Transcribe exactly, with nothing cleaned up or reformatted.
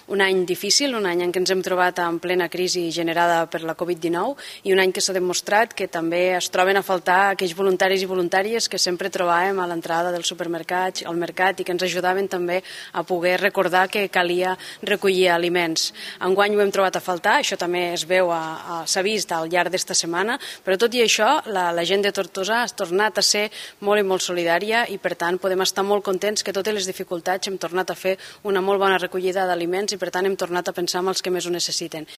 un any difícil, un any en què ens hem trobat en plena crisi generada per la Covid dinou i un any que s'ha demostrat que també es troben a faltar aquells voluntaris i voluntàries que sempre trobàvem a l'entrada dels supermercats, al mercat, i que ens ajudaven també a poder recordar que calia recollir aliments. Enguany ho hem trobat a faltar, això també es veu, s'ha vist al llarg d'esta setmana, però tot i això la, la gent de Tortosa ha tornat a ser molt i molt solidària i per tant podem estar molt contents que totes les dificultats hem tornat a fer una molt bona recollida d'aliments i per tant hem tornat a pensar en els que més ho necessiten.